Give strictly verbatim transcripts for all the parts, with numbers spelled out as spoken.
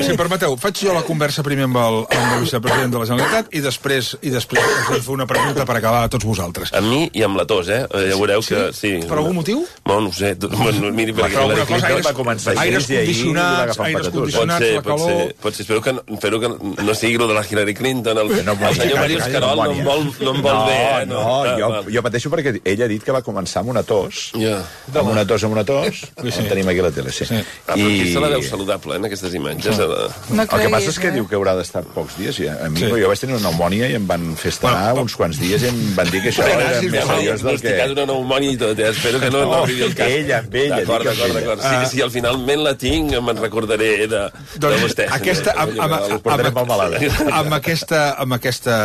Si em permeteu, faig jo la conversa primer amb el, amb el vicepresident de la Generalitat i després i després us fer una pregunta per acabar a tots vosaltres. Amb mi i amb la tos, eh? Ja veureu que... Sí. Per algun motiu? No, no ho sé. No, miri, perquè... Però alguna cosa, aires, aires condicionats, aires condicionats, la calor... Pot ser, espero que, espero que no sigui el de la Hillary Clinton. El, no, el senyor Mario Escarol no em vol, no em vol no, bé, eh? No, no jo, jo pateixo perquè ell ha dit que va començar amb una tos. Yeah. Amb una tos, amb una tos. Sí. En tenim aquí a la tele, sí. sí. Ah, però aquí se la veu saludable, eh, en aquestes imatges. Sí. No el que passa és que diu que haurà d'estar pocs dies. A mi, sí. Jo vaig tenir una pneumònia i em van fer estar bueno, uns quants dies i em van dir que això era més seriós del que... Diagnosticat una pneumònia i tot, eh? Espero que no, no arribi el cas. Ella, amb ella. D'acord, d'acord, d'acord. Si, si al finalment la tinc, me'n recordaré de, de vostè. Aquesta, amb, amb, amb, amb, aquesta, amb aquesta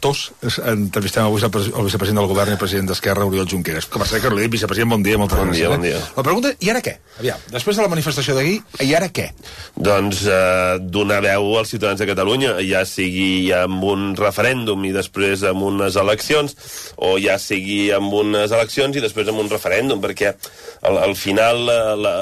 tos entrevistem el vicepresident del govern i el president d'Esquerra, Oriol Junqueras. Com a ser que li dic, vicepresident, bon dia, moltes bon gràcies. Dia, bon dia. La pregunta, i ara què? Aviam, després de la manifestació d'ahir, i ara què? Doncs eh, donar veu als ciutadans de Catalunya, ja sigui amb un referèndum i després amb unes eleccions, o ja sigui amb unes eleccions i després amb un referèndum, perquè al, al final la, la,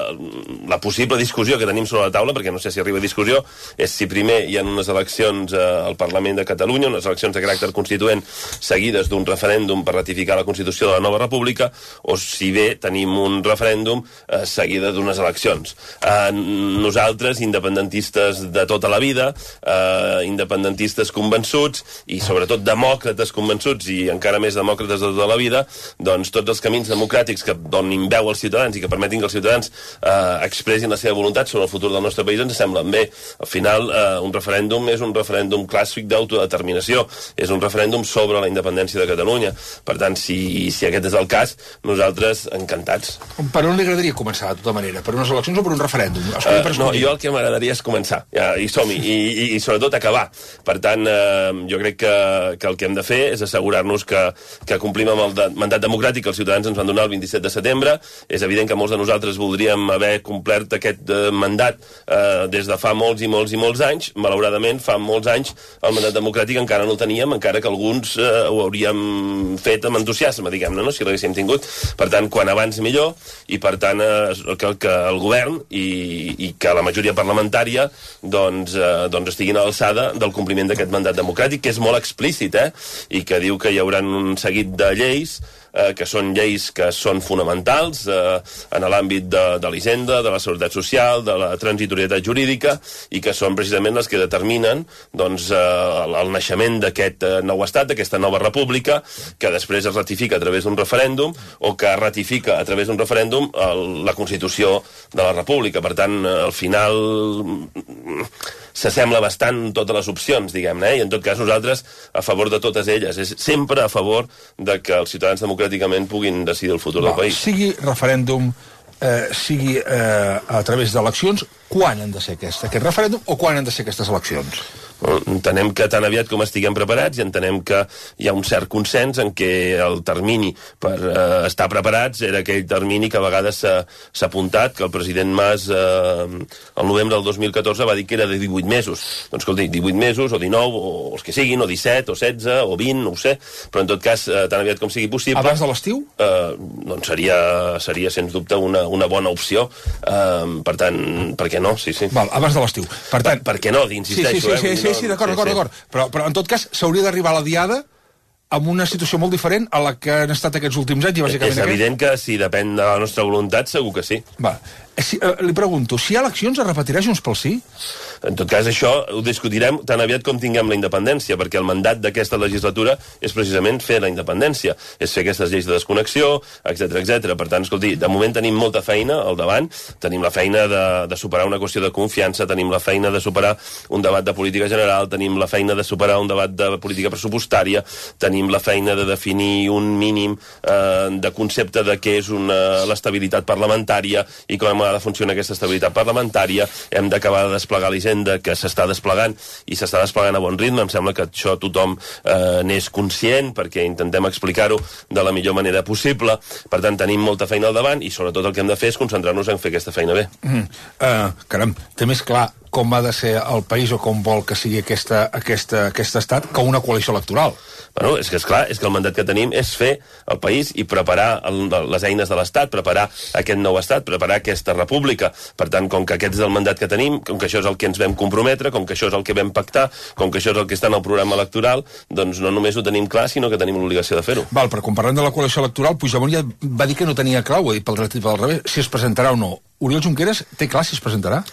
la possible discussió que tenim sobre la taula, perquè no sé si arriba a discussió, és si primer hi ha unes eleccions eh, al Parlament de Catalunya, unes eleccions de caràcter constituent seguides d'un referèndum per ratificar la Constitució de la nova república, o si bé tenim un referèndum eh, seguida d'unes eleccions. Eh, nosaltres, independentistes de tota la vida, eh, independentistes convençuts i sobretot demòcrates convençuts i encara més demòcrates de tota la vida, doncs tots els camins democràtics que donin veu als ciutadans i que permetin que els ciutadans eh, expressin la seva voluntat sobre el futur del nostre país ens semblen bé. Al final, eh, un referèndum és un referèndum clàssic d'autodeterminació, és un referèndum sobre la independència de Catalunya. Per tant, si, si aquest és el cas, nosaltres encantats. Per on li agradaria començar, de tota manera? Per unes eleccions o per un referèndum? Uh, no, jo el que m'agradaria és començar, ja, i som-hi, i, i, i sobretot acabar. Per tant, eh, jo crec que, que el que hem de fer és assegurar-nos que, que complim amb el de, mandat democràtic que els ciutadans ens van donar el vint-i-set de setembre. És evident que molts de nosaltres voldríem haver complert aquest eh, mandat eh, des de fa molts i molts i molts anys. Malauradament, fa molts anys el mandat democràtic encara no el teníem, encara que alguns eh, ho hauríem fet amb entusiasme, diguem-ne, no? Si l'haguéssim tingut. Per tant, quan abans millor, i per tant, eh, que, que el govern i, i que la majoria parlamentària doncs, eh, doncs estiguin a l'alçada del compliment d'aquest mandat democràtic, que és molt explícit, eh? I que diu que hi haurà un seguit de lleis eh, que són lleis que són fonamentals eh, en l'àmbit de, de l'Hisenda, de la Seguretat Social, de la transitorietat jurídica, i que són precisament les que determinen doncs, eh, el, el naixement d'aquest eh, nou estat, d'aquesta nova república, que després es ratifica a través d'un referèndum o que ratifica a través d'un referèndum el, la Constitució de la República. Per tant, eh, al final s'assembla bastant totes les opcions, diguem-ne, eh? I en tot cas nosaltres a favor de totes elles. És sempre a favor de que els ciutadans democràticament puguin decidir el futur Va, del país. Sigui referèndum, eh, sigui eh, a través d'eleccions, quan han de ser aquest, aquest referèndum o quan han de ser aquestes eleccions? Entenem que tan aviat com estiguem preparats i entenem que hi ha un cert consens en què el termini per eh, estar preparats era aquell termini que a vegades s'ha apuntat, que el president Mas eh, el novembre del dos mil catorze va dir que era de divuit mesos. Doncs escolti, divuit mesos o dinou, o els que siguin, o disset, o setze, o vint, no ho sé, però en tot cas, eh, tan aviat com sigui possible... Abans de l'estiu? Eh, doncs seria, seria sens dubte una, una bona opció. Eh, per tant, per què no? Sí, sí. Val, abans de l'estiu. Per tant... Per, per què no? Insisteixo, sí, sí, sí, sí, eh? sí, sí, sí, d'acord, d'acord, d'acord. Però, però, en tot cas, s'hauria d'arribar a la diada amb una situació molt diferent a la que han estat aquests últims anys, i bàsicament... És evident que si depèn de la nostra voluntat, segur que sí. Va. Si, eh, li pregunto, si hi ha eleccions es repetirà Junts pel Sí? En tot cas, això ho discutirem tan aviat com tinguem la independència, perquè el mandat d'aquesta legislatura és precisament fer la independència, és fer aquestes lleis de desconnexió, etcètera, etcètera. Per tant, escolti, de moment tenim molta feina al davant, tenim la feina de, de superar una qüestió de confiança, tenim la feina de superar un debat de política general, tenim la feina de superar un debat de política pressupostària, tenim la feina de definir un mínim eh, de concepte de què és una, l'estabilitat parlamentària i com ha de funcionar aquesta estabilitat parlamentària. Hem d'acabar de desplegar l'Hisenda, que s'està desplegant i s'està desplegant a bon ritme. Em sembla que això tothom eh, n'és conscient, perquè intentem explicar-ho de la millor manera possible. Per tant, tenim molta feina al davant i sobretot el que hem de fer és concentrar-nos en fer aquesta feina bé. Mm. Uh, caram, té més clar com ha de ser el país o com vol que sigui aquesta, aquesta, aquest estat que una coalició electoral. Bueno, és que és clar, és que el mandat que tenim és fer el país i preparar el, les eines de l'Estat, preparar aquest nou Estat, preparar aquesta república. Per tant, com que aquest és el mandat que tenim, com que això és el que ens vam comprometre, com que això és el que vam pactar, com que això és el que està en el programa electoral, doncs no només ho tenim clar, sinó que tenim l'obligació de fer-ho. Val, però quan parlem de la coalició electoral, Puigdemont ja va dir que no tenia clar, ho ha dit pel dret i pel revés, si es presentarà o no. Oriol Junqueras té clar si es presentarà?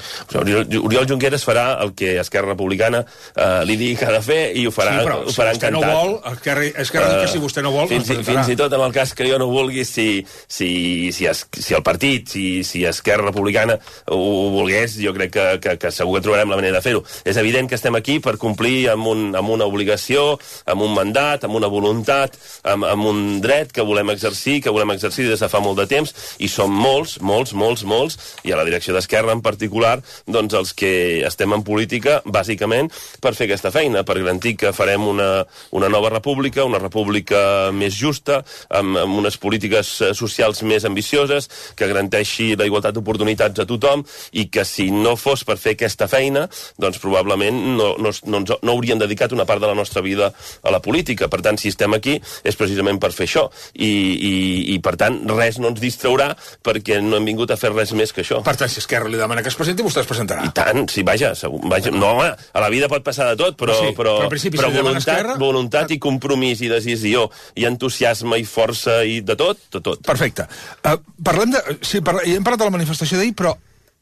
Oriol, Oriol Junqueras farà el que Esquerra Republicana eh, li digui que ha de fer i ho farà, sí, però, ho farà si encantat. No vol, Esquerra, Esquerra uh, que si vostè no vol, fins, i, fins i tot en el cas que jo no vulgui, si, si, si, es, si el partit, si, si Esquerra Republicana ho, ho volgués, jo crec que, que, que segur que trobarem la manera de fer-ho. És evident que estem aquí per complir amb, un, amb una obligació, amb un mandat, amb una voluntat, amb, amb un dret que volem exercir, que volem exercir des de fa molt de temps, i som molts, molts, molts, molts, i a la direcció d'Esquerra en particular, doncs els que estem en política, bàsicament, per fer aquesta feina, per garantir que farem una, una nova república, una república més justa, amb, amb unes polítiques socials més ambicioses, que garanteixi la igualtat d'oportunitats a tothom, i que si no fos per fer aquesta feina, doncs probablement no, no, no, no hauríem dedicat una part de la nostra vida a la política. Per tant, si estem aquí, és precisament per fer això. I, i, i per tant, res no ens distraurà, perquè no hem vingut a fer res més que això. Per tant, si Esquerra li demana que es presenti, vostè es presentarà. I tant, sí, vaja, segur, vaja no, home, a la vida pot passar de tot, però, sí, però, però, principi, però si voluntat, Esquerra... voluntat i compromís i decisió i entusiasme i força i de tot, de tot. Perfecte. Uh, parlem de... Sí, parla, hem parlat de la manifestació d'ahir, però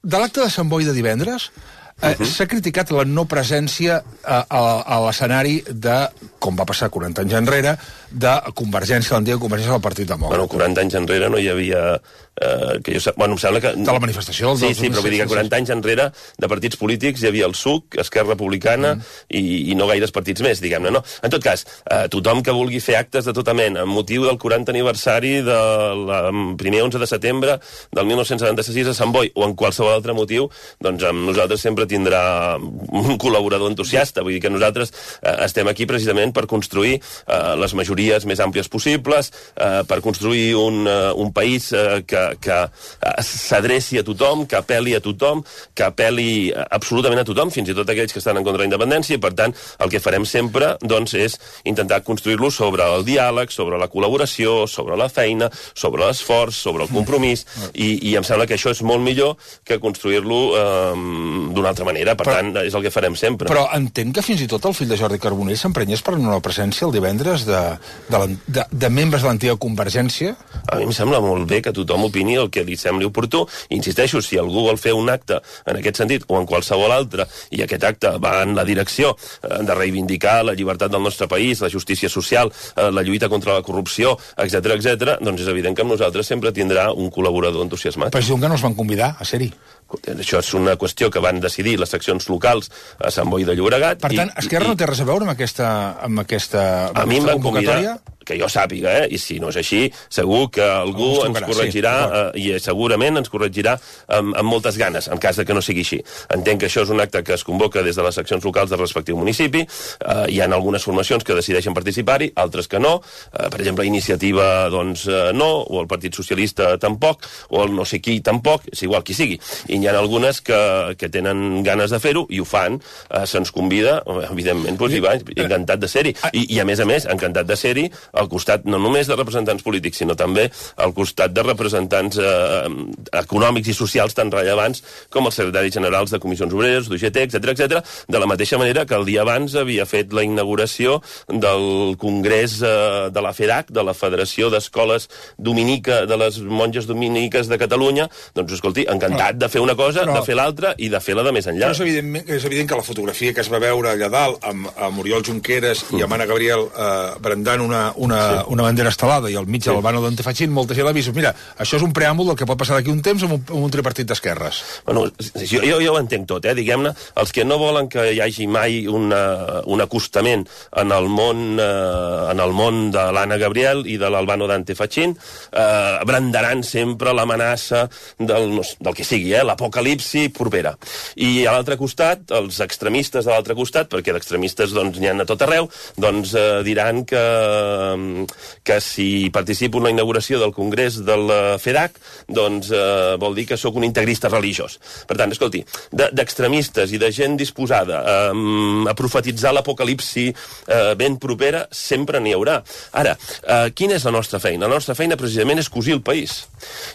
de l'acte de Sant Boi de divendres uh, uh-huh. s'ha criticat la no presència uh, a, a l'escenari de, com va passar quaranta anys enrere, de Convergència, l'antiga Convergència del Partit Demòcrata. Bueno, quaranta anys enrere no hi havia... Eh, que jo, bueno, em sembla que... De la manifestació del Sí, sí, però vull dir que quaranta anys enrere de partits polítics hi havia el S U C, Esquerra Republicana mm. i, i no gaires partits més, diguem-ne, no? En tot cas, eh, tothom que vulgui fer actes de tota mena amb motiu del quaranta aniversari del primer onze de setembre del mil nou-cents setanta-sis a Sant Boi o en qualsevol altre motiu, doncs amb nosaltres sempre tindrà un col·laborador entusiasta. Vull dir que nosaltres eh, estem aquí precisament per construir eh, les majories més àmplies possibles, eh, per construir un, uh, un país eh, que que s'adreci a tothom, que apel·li a tothom, que apel·li absolutament a tothom, fins i tot aquells que estan en contra de la independència, i per tant el que farem sempre doncs, és intentar construir-lo sobre el diàleg, sobre la col·laboració, sobre la feina, sobre l'esforç, sobre el compromís, i, i em sembla que això és molt millor que construir-lo eh, d'una altra manera, per però, tant és el que farem sempre. Però entenc que fins i tot el fill de Jordi Carbonell s'emprenyés per una presència el divendres de, de, de, de membres de l'antiga Convergència? A mi em sembla molt bé que tothom opini el que li sembli oportú. Insisteixo, si algú vol fer un acte en aquest sentit o en qualsevol altre, i aquest acte va en la direcció eh, de reivindicar la llibertat del nostre país, la justícia social, eh, la lluita contra la corrupció, etcètera, etcètera, doncs és evident que amb nosaltres sempre tindrà un col·laborador entusiasmat. Però és que no els van convidar a ser-hi. Això és una qüestió que van decidir les seccions locals a Sant Boi de Llobregat. Per tant, Esquerra i, no té res a veure amb aquesta, amb aquesta, amb a mi em van convocatòria? Convidar, que jo sàpiga, eh? I si no és així, segur que algú ens, ens corregirà, sí, eh, i segurament ens corregirà amb, amb moltes ganes, en cas de que no sigui així. Entenc que això és un acte que es convoca des de les seccions locals del respectiu municipi, eh, hi ha algunes formacions que decideixen participar-hi, altres que no, eh, per exemple, Iniciativa, doncs, eh, no, o el Partit Socialista tampoc, o el no sé qui tampoc, és igual qui sigui. I n'hi ha algunes que, que tenen ganes de fer-ho i ho fan, eh, se'ns convida, evidentment, doncs, i va, encantat de ser-hi. I, I, a més a més, encantat de ser-hi al costat no només de representants polítics, sinó també al costat de representants eh, econòmics i socials tan rellevants com els secretaris generals de comissions obreres, d'U G T, etcètera, etcètera, de la mateixa manera que el dia abans havia fet la inauguració del Congrés eh, de la FEDAC, de la Federació d'Escoles Dominica, de les Monges Dominiques de Catalunya, doncs, escolti, encantat de fer una cosa, però, de fer l'altra i de fer-la de més enllà. Però és evident, és evident que la fotografia que es va veure allà dalt amb, amb Oriol Junqueras mm. i amb Anna Gabriel eh, brandant una, una, sí. una bandera estelada i al mig sí. de l'Albano Dante Fachin, molta gent l'ha vist. Mira, això és un preàmbul del que pot passar d'aquí un temps amb un, amb un tripartit d'esquerres. Bueno, jo, jo, jo ho entenc tot, eh, diguem-ne. Els que no volen que hi hagi mai una, un acostament en el món, eh, en el món de l'Anna Gabriel i de l'Albano Dante Fachin, eh, brandaran sempre l'amenaça del, del que sigui, eh, l'apocalipsi propera. I a l'altre costat, els extremistes de l'altre costat, perquè d'extremistes doncs, n'hi ha a tot arreu, doncs eh, diran que, que si participo en la inauguració del Congrés del FEDAC, doncs eh, vol dir que sóc un integrista religiós. Per tant, escolti, d'extremistes i de gent disposada eh, a profetitzar l'apocalipsi eh, ben propera, sempre n'hi haurà. Ara, eh, quina és la nostra feina? La nostra feina precisament és cosir el país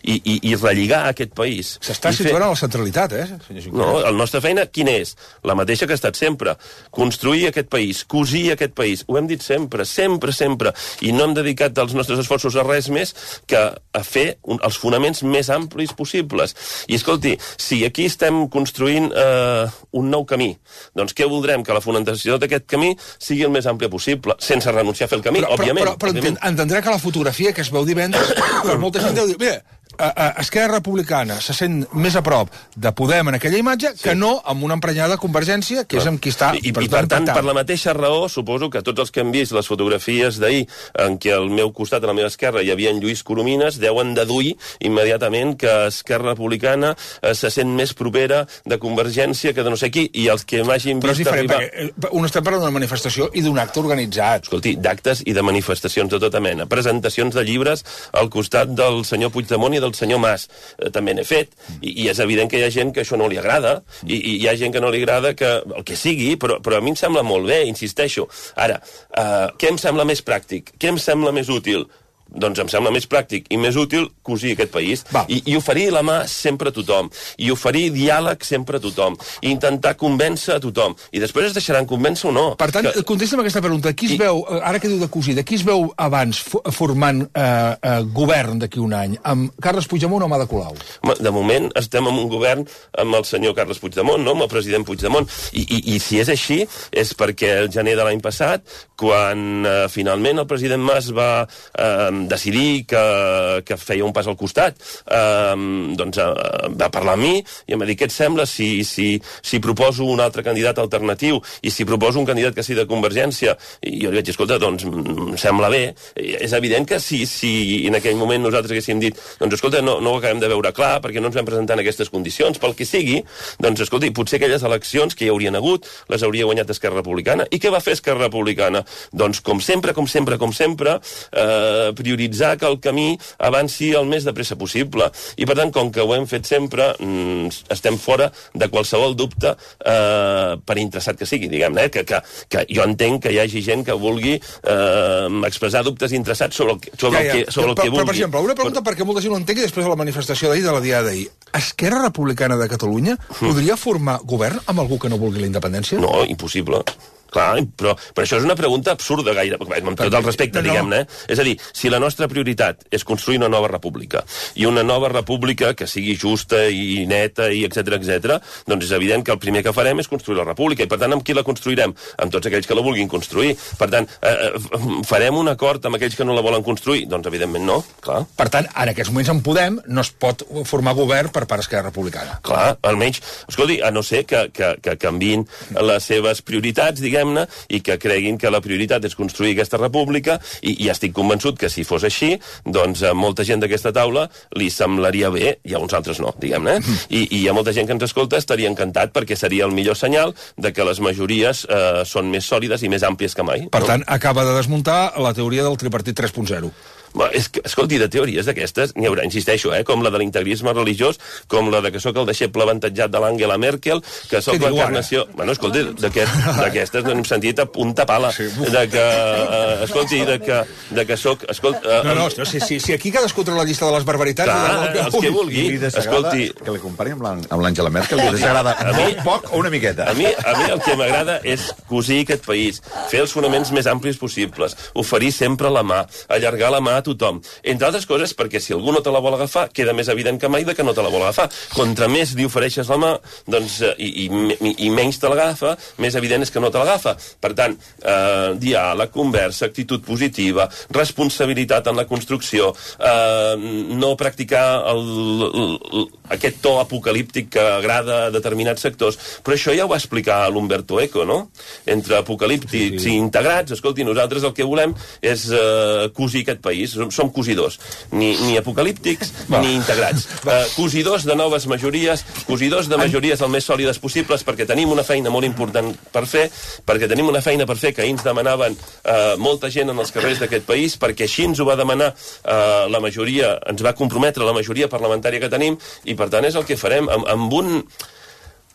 i, i, i relligar aquest país. S'està situant a la centralitat, eh? No, la nostra feina quina és? La mateixa que ha estat sempre. Construir aquest país, cosir aquest país. Ho hem dit sempre, sempre, sempre. I no hem dedicat els nostres esforços a res més que a fer un, els fonaments més amplis possibles. I escolti, si aquí estem construint eh, un nou camí, doncs què voldrem? Que la fonamentació d'aquest camí sigui el més àmplia possible, sense renunciar a fer el camí, però, òbviament. Però, però, però òbviament. entendrà que la fotografia que es veu divendres, per molta gent deu dir, mira, a, a Esquerra Republicana se sent més a prop de Podem en aquella imatge sí. que no amb una emprenyada convergència, que és amb qui està... I, i, i per tant, per la mateixa raó, suposo que tots els que hem vist les fotografies d'ahir en què al meu costat, a la meva esquerra, hi havia en Lluís Coromines, deuen deduir immediatament que Esquerra Republicana eh, se sent més propera de Convergència que de no sé qui, i els que m'hagin vist... Però és diferent, arribar... perquè un estem parlant d'una manifestació i d'un acte organitzat. Escolti, d'actes i de manifestacions de tota mena. Presentacions de llibres al costat del senyor Puigdemont i del senyor Mas. Eh, també n'he fet, i, i és evident que hi ha gent que això no li agrada, i, i hi ha gent que no li agrada que el que sigui, però, però a mi em sembla molt bé, insisteixo. Ara, eh, què em sembla més pràctic? Què em sembla més útil? Doncs em sembla més pràctic i més útil cosir aquest país I, i oferir la mà sempre a tothom, i oferir diàleg sempre a tothom, i intentar convèncer a tothom, i després es deixaran convèncer o no. Per tant, que... contesta'm aquesta pregunta. Qui es I... veu, ara que diu de cosir, de qui es veu abans formant eh, eh, govern d'aquí un any? Amb Carles Puigdemont o Amada Colau? De moment estem en un govern amb el senyor Carles Puigdemont, no? Amb el president Puigdemont, i, i, i si és així és perquè el gener de l'any passat, quan eh, finalment el president Mas va eh, decidir que, que feia un pas al costat, eh, doncs eh, va parlar amb mi i em va dir, què et sembla si, si, si proposo un altre candidat alternatiu i si proposo un candidat que sigui de Convergència? I jo li vaig dir, escolta, doncs em sembla bé. És evident que si, si en aquell moment nosaltres haguéssim dit, doncs escolta, no, no ho acabem de veure clar perquè no ens vam presentar en aquestes condicions, pel que sigui, doncs escolta, potser aquelles eleccions que hi haurien hagut les hauria guanyat Esquerra Republicana. I què va fer Esquerra Republicana? Doncs com sempre, com sempre, com sempre, eh, prioritzar que el camí avanci el més de pressa possible. I per tant, com que ho hem fet sempre, mm, estem fora de qualsevol dubte eh, per interessat que sigui, diguem-ne, eh? que, que, que jo entenc que hi hagi gent que vulgui eh, expressar dubtes interessats sobre el que, sobre ja, ja. El que, sobre el però, que vulgui. Però, per exemple, una pregunta però... perquè molta gent ho entengui després de la manifestació d'ahir, de la diada d'ahir. Esquerra Republicana de Catalunya mm. podria formar govern amb algú que no vulgui la independència? No, impossible. Clar, però, però això és una pregunta absurda gaire, amb tot el respecte, no, no. diguem-ne. Eh? És a dir, si la nostra prioritat és construir una nova república, i una nova república que sigui justa i neta, i etcètera, etcètera, doncs és evident que el primer que farem és construir la república, i per tant, amb qui la construirem? Amb tots aquells que la vulguin construir. Per tant, eh, farem un acord amb aquells que no la volen construir? Doncs evidentment no, clar. Per tant, en aquests moments en Podem no es pot formar govern per part d'Esquerra Republicana. Clar, almenys, escolti, a no ser que, que, que canviïn les seves prioritats, diguem i que creguin que la prioritat és construir aquesta república, i, i estic convençut que si fos així, doncs a molta gent d'aquesta taula li semblaria bé, i a uns altres no, diguem-ne, I, i a molta gent que ens escolta estaria encantat perquè seria el millor senyal de que les majories eh, són més sòlides i més àmplies que mai. Per no? tant, acaba de desmuntar la teoria del tripartit tres punt zero. És que, escolti, de teories d'aquestes n'hi haurà, insisteixo, eh, com la de l'integrisme religiós, com la de que sóc el deixeble avantatjat de l'Angela Merkel, que sóc l'encarnació... Bueno, escolti, d'aquestes no hem sentit a punta pala. Sí, de que, uh, escolti, de que, de que sóc... Escolti, uh, no, no, si, si, si aquí cadascú troba la llista de les barbaritats... Clar, de... els que vulgui. Escolti... Que li compari amb l'Angela Merkel, li desagrada molt poc o una miqueta? A mi, a mi el que m'agrada és cosir aquest país, fer els fonaments més amplis possibles, oferir sempre la mà, allargar la mà a tothom. Entre altres coses, perquè si algú no te la vol agafar, queda més evident que mai de que no te la vol agafar. Contra més li ofereixes la mà, doncs, i, i, i menys te l'agafa, més evident és que no te l'agafa. Per tant, eh, diàleg, conversa, actitud positiva, responsabilitat en la construcció, eh, no practicar el, el, aquest to apocalíptic que agrada a determinats sectors. Però això ja ho va explicar l'Umberto Eco, no? Entre apocalíptics sí, sí. i integrats, escolti, nosaltres el que volem és eh, cosir aquest país. país som cosidors, ni, ni apocalíptics Va. ni integrats. Uh, cosidors de noves majories, cosidors de majories el més sòlides possibles, perquè tenim una feina molt important per fer, perquè tenim una feina per fer que ahir ens demanaven uh, molta gent en els carrers d'aquest país, perquè així ens ho va demanar uh, la majoria, ens va comprometre la majoria parlamentària que tenim, i per tant és el que farem amb, amb un...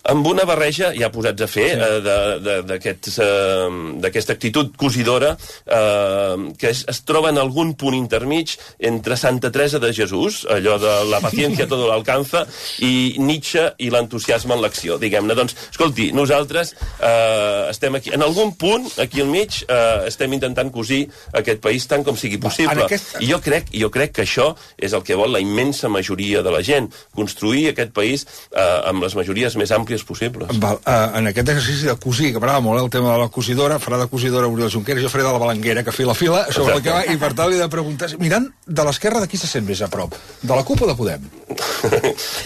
amb una barreja ja posats a fer sí. eh, d'aquesta eh, actitud cosidora eh, que es, es troba en algun punt intermig entre Santa Teresa de Jesús, allò de la paciència todo l'alcanza, i Nietzsche i l'entusiasme en l'acció, diguem-ne. Doncs, escolti, nosaltres eh, estem aquí, en algun punt, aquí al mig, eh, estem intentant cosir aquest país tant com sigui possible. Aquest... I jo crec, jo crec que això és el que vol la immensa majoria de la gent, construir aquest país eh, amb les majories més àmplies possibles. Val, uh, en aquest exercici de cosir, que m'agrada molt el tema de la cosidora, farà de cosidora Oriol Junqueras, jo faré de la balanguera, que fila a fila, sobre el que va, i per tant li he de preguntar, mirant de l'esquerra, de qui se sent més a prop? De la CUP o de Podem?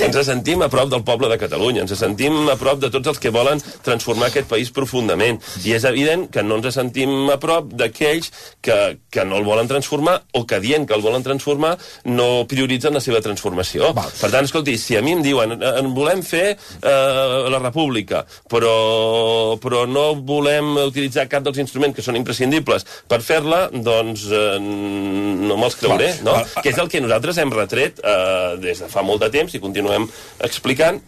Ens sentim a prop del poble de Catalunya, ens sentim a prop de tots els que volen transformar aquest país profundament, i és evident que no ens sentim a prop d'aquells que, que no el volen transformar, o que dient que el volen transformar no prioritzen la seva transformació. Val. Per tant, escolti, si a mi em diuen en volem fer eh, la república, però, però no volem utilitzar cap dels instruments que són imprescindibles per fer-la, doncs eh, no me'ls creuré, no? Que és el que nosaltres hem retret eh, des de fa molt de temps i continuem explicant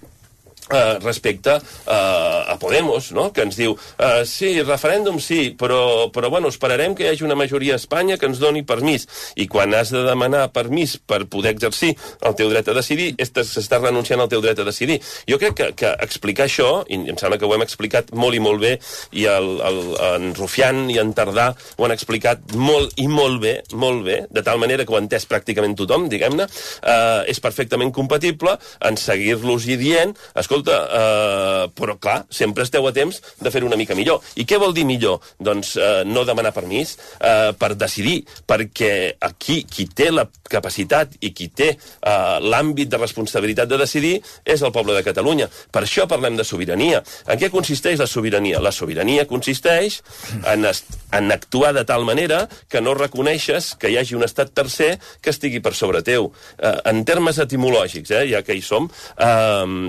Uh, respecte uh, a Podemos, no? Que ens diu uh, sí, referèndum sí, però, però bueno, esperarem que hi hagi una majoria a Espanya que ens doni permís, i quan has de demanar permís per poder exercir el teu dret a decidir, s'està renunciant al teu dret a decidir. Jo crec que, que explicar això, i em sembla que ho hem explicat molt i molt bé, i el, el, en Rufián i en Tardà ho han explicat molt i molt bé, molt bé, de tal manera que ho ha entès pràcticament tothom, diguem-ne, uh, és perfectament compatible en seguir-los i dient, escolta, Uh, però clar, sempre esteu a temps de fer una mica millor. I què vol dir millor? Doncs uh, no demanar permís uh, per decidir, perquè aquí qui té la capacitat i qui té uh, l'àmbit de responsabilitat de decidir és el poble de Catalunya. Per això parlem de sobirania. En què consisteix la sobirania? La sobirania consisteix en, en actuar de tal manera que no reconeixes que hi hagi un estat tercer que estigui per sobre teu. Uh, en termes etimològics, eh, ja que hi som, uh,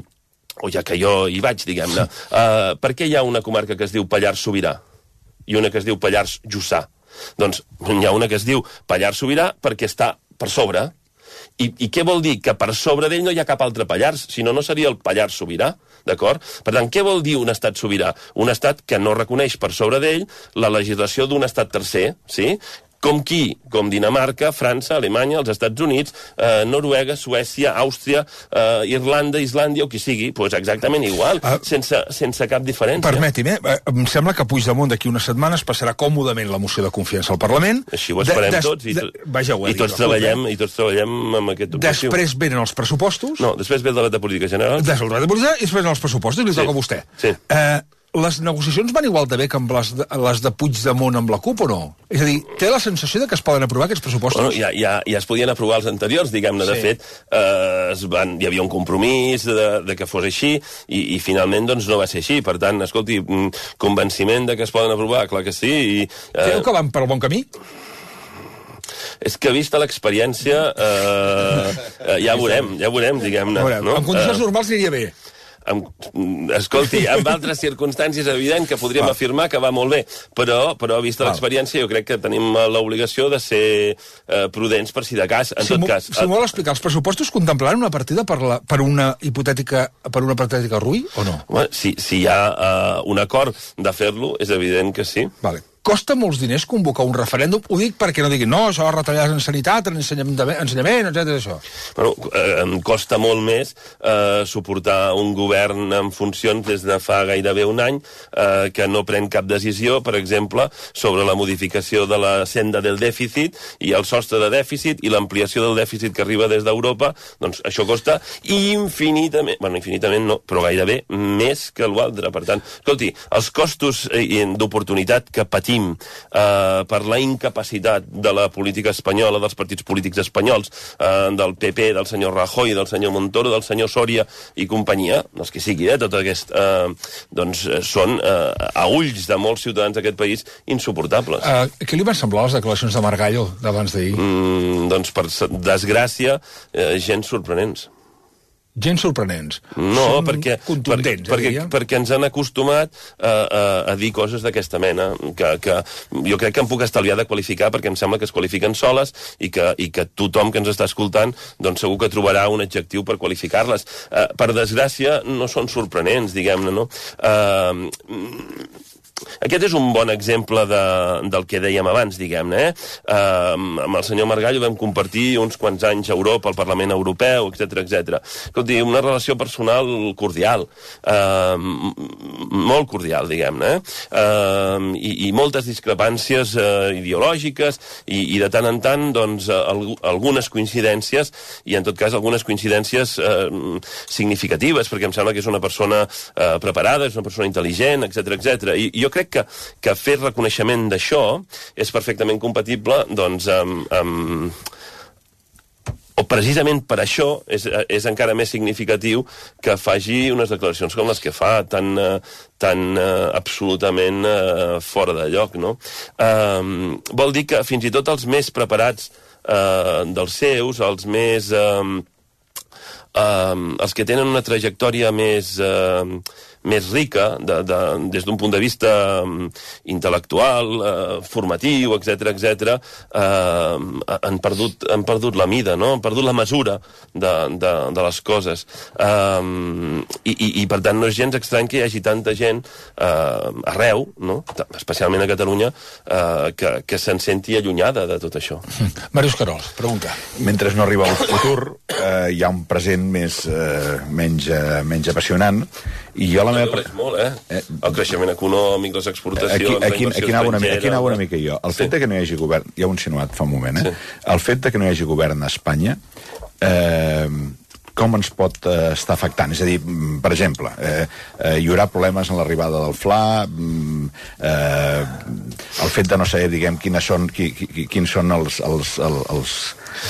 o ja que jo hi vaig, diguem-ne, uh, per què hi ha una comarca que es diu Pallars Sobirà i una que es diu Pallars Jussà? Doncs hi ha una que es diu Pallars Sobirà perquè està per sobre. I, I què vol dir? Que per sobre d'ell no hi ha cap altre Pallars, si no, no seria el Pallars Sobirà, d'acord? Per tant, què vol dir un estat sobirà? Un estat que no reconeix per sobre d'ell la legislació d'un estat tercer, sí? Com qui? Com Dinamarca, França, Alemanya, els Estats Units, eh, Noruega, Suècia, Àustria, eh, Irlanda, Islàndia, o qui sigui, doncs exactament igual, uh, sense, sense cap diferència. Permeti'm, eh? Em sembla que Puigdemont d'aquí unes setmanes passarà còmodament la moció de confiança al Parlament. Així ho esperem de, tots, i, de, vaja, i, tots treballem, i tots treballem amb aquest objectiu. Després venen els pressupostos. No, després ve el debat de política general. Després el debat de política i després venen els pressupostos, i li sí. toca a vostè. Sí. Eh, les negociacions van igual de bé que amb les de, les de Puigdemont amb la CUP o no? És a dir, té la sensació de que es poden aprovar aquests pressupostos? Bueno, ja, ja, ja es podien aprovar els anteriors, diguem-ne. Sí. De fet, eh, es van, hi havia un compromís de, de que fos així, i, i finalment doncs, no va ser així. Per tant, escolti, convenciment de que es poden aprovar, clar que sí. I, eh... Creu que van per el bon camí? És que vista l'experiència, eh, eh, ja veurem, ja veurem, diguem-ne. No? En condicions uh, normals aniria bé. Amb, escolti, en altres circumstàncies és evident que podríem va. afirmar que va molt bé, però, però vista l'experiència jo crec que tenim l'obligació de ser eh, prudents per si de cas, en si tot cas. Si m'ho vol explicar, els pressupostos contemplaran una partida per, la, per una hipotètica per una hipotètica R U I o no? Bueno, si, si hi ha uh, un acord de fer-lo, és evident que sí. Vale. Costa molts diners convocar un referèndum? Ho dic perquè no diguin, no, això retallades en sanitat, en ensenyament, ensenyament etcètera, això. Bueno, eh, em costa molt més eh, suportar un govern en funcions des de fa gairebé un any eh, que no pren cap decisió, per exemple, sobre la modificació de la senda del dèficit i el sostre de dèficit i l'ampliació del dèficit que arriba des d'Europa. Doncs això costa infinitament, bueno, infinitament no, però gairebé més que l'altre. Per tant, escolti, els costos eh, d'oportunitat que patim patim eh, per la incapacitat de la política espanyola, dels partits polítics espanyols, eh, del P P, del senyor Rajoy, del senyor Montoro, del senyor Soria i companyia, els que sigui, eh, tot aquest, eh, doncs són, eh, a ulls de molts ciutadans d'aquest país, insuportables. Uh, què li van semblar les declaracions de Margallo d'abans d'ahir? Mm, doncs, per desgràcia, eh, gens sorprenents. Gens sorprenents. No, Són perquè, contundents, per, perquè, eh, perquè ens han acostumat a, a, a dir coses d'aquesta mena, que, que jo crec que em puc estalviar de qualificar, perquè em sembla que es qualifiquen soles i que, i que tothom que ens està escoltant doncs segur que trobarà un adjectiu per qualificar-les. Uh, per desgràcia, no són sorprenents, diguem-ne, no? Uh, Aquest és un bon exemple de, del que dèiem abans, diguem-ne. Eh? Uh, amb el senyor Margallo vam compartir uns quants anys a Europa, al Parlament Europeu, etcètera, etcètera. Escolti, una relació personal cordial, uh, molt cordial, diguem-ne, eh? uh, i, i moltes discrepàncies uh, ideològiques, i, i de tant en tant, doncs, uh, algunes coincidències, i en tot cas algunes coincidències uh, significatives, perquè em sembla que és una persona uh, preparada, és una persona intel·ligent, etcètera, etcètera. I jo crec que, que fer reconeixement d'això és perfectament compatible doncs, amb, amb... o precisament per això és, és encara més significatiu que faci unes declaracions com les que fa, tan, tan uh, absolutament uh, fora de lloc, no? Uh, vol dir que fins i tot els més preparats uh, dels seus, els més... Uh, uh, els que tenen una trajectòria més... Uh, més rica, de, de, des d'un punt de vista um, intel·lectual, uh, formatiu, etcètera, etcètera, uh, han, perdut, han perdut la mida, no? Han perdut la mesura de, de, de les coses. Um, i, i, I, per tant, no és gens estrany que hi hagi tanta gent uh, arreu, no? Especialment a Catalunya, uh, que, que se'n senti allunyada de tot això. Màrius Querol, pregunta. Mentre no arriba el futur, eh, hi ha un present més, eh, menys, eh, menys apassionant, i jo la meva... No molt, eh? eh? El creixement econòmic, les exportacions, aquí, aquí, la inversió aquí anava una, estrangera... Aquí anava una mica jo. El sí. fet de que no hi hagi govern... Ja ho he insinuat fa un moment, eh? Sí. El fet de que no hi hagi govern a Espanya... Eh, com ens pot eh, estar afectant? És a dir, per exemple, eh, eh, hi haurà problemes en l'arribada del Fla, eh, el fet de no saber, diguem, quines són, qui, qui, quins són els, els, els, els,